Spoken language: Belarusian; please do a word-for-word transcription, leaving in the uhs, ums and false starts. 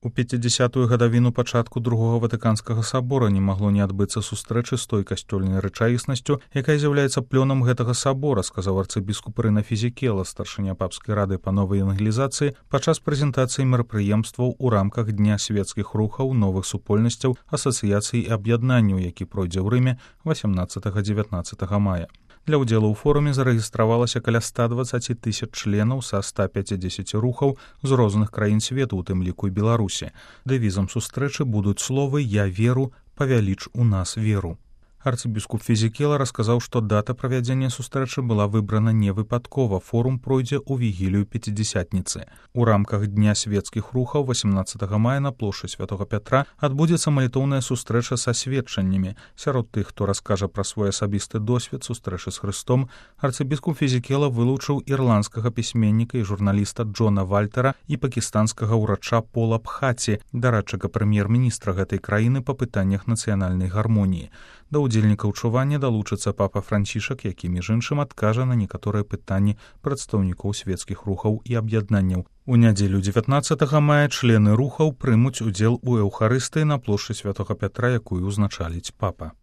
У пяцідзясятую гадавіну пачатку другога ватыканскага сабора не магло не адбыцца сустрэчы з той касцёльнай рэчаіснасцю, якая з'яўляецца плёнам гэтага сабора, сказаў арцыбіскуп Рына Фізікела, старшыня папскай рады па новай евангелізацыі, падчас прэзентацыі мерапрыемстваў у рамках Дня свецкіх рухаў, новых супольнасцяў, асацыяцый і аб'яднанняў, які пройдзе ў Рыме васямнаццатага-дзевятнаццатага мая. Для ўдзелу ў форуме зарэгістравалася каля ста дваццаць тысяч членаў са ста пяцідзесяці рухаў з розных краін свету, у тым ліку і Беларусі. Дэвізам сустрэчы будуць словы «Я веру, павяліч у нас веру». Арцыбіскуп Фізікела расказаў, што дата правядзення сустрэчы была выбрана невыпадкова. Форум пройдзе ў вігілію пяцідзясятніцы. У рамках Дня свецкіх рухаў васямнаццатага мая на плошчы Святога Пятра адбудзецца малітоўная сустрэча са сведчаннямі. Сярод тых, хто раскажа пра свой асабісты досвед сустрэчы з Хрыстом, арцыбіскуп Фізікела вылучыў ірландскага пісьменніка і журналіста Джона Вальтера і пакістанскага ўрача Пола Пхаці, дарадчыка прэм'ер-міністра гэтай краіны па пытаннях нацыянальнай гармоніі. Да ўдзельнікаў чування далучыцца папа Францішак, які, між іншым, адкажа на некаторыя пытанні прадстаўнікоў свецкіх рухаў і аб'яднанняў. У нядзелю дзевятнаццатага мая члены рухаў прымуць удзел у эўхарыстыі на плошчы Святога Пятра, якую ўзначаліць папа.